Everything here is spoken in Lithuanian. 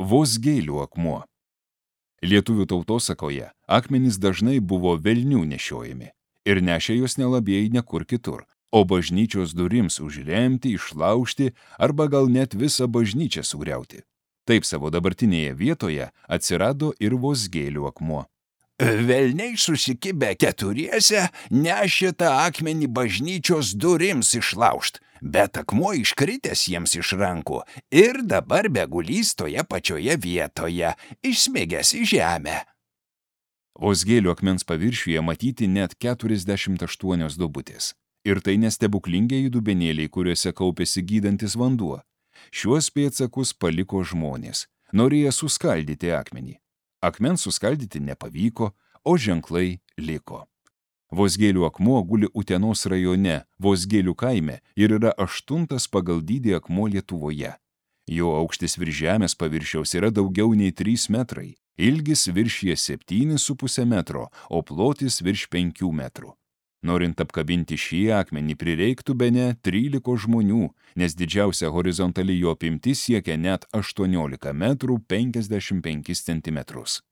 Vosgėlių akmuo. Lietuvių tautosakoje akmenys dažnai buvo velnių nešiojami ir nešė juos nelabieji nekur kitur, o bažnyčios durims užremti, išlaužti arba gal net visą bažnyčią sugriauti. Taip savo dabartinėje vietoje atsirado ir Vosgėlių akmuo. Velniai susikibę keturiese nešė tą akmenį bažnyčios durims išlaužt, bet akmuo iškritęs jiems iš rankų ir dabar begulys toje pačioje vietoje, išsmigęs į žemę. Vosgėlių akmens paviršiuje matyti net 48 duobutės. Ir tai nestebuklingieji dubenėliai, kuriuose kaupėsi gydantis vanduo. Šiuos pėdsakus paliko žmonės, norėję suskaldyti akmenį. Akmens suskaldyti nepavyko, o ženklai liko. Vosgėlių akmuo guli Utenos rajone, Vosgėlių kaime ir yra 8. pagal dydį akmuo Lietuvoje. Jo aukštis virš žemės paviršiaus yra daugiau nei 3 metrai, ilgis viršyje 7,5 metro, o plotis virš 5 metrų. Norint apkabinti šį akmenį prireiktų bene 13 žmonių, nes didžiausia horizontali jo apimtis siekia net 18 metrų 55 centimetrus.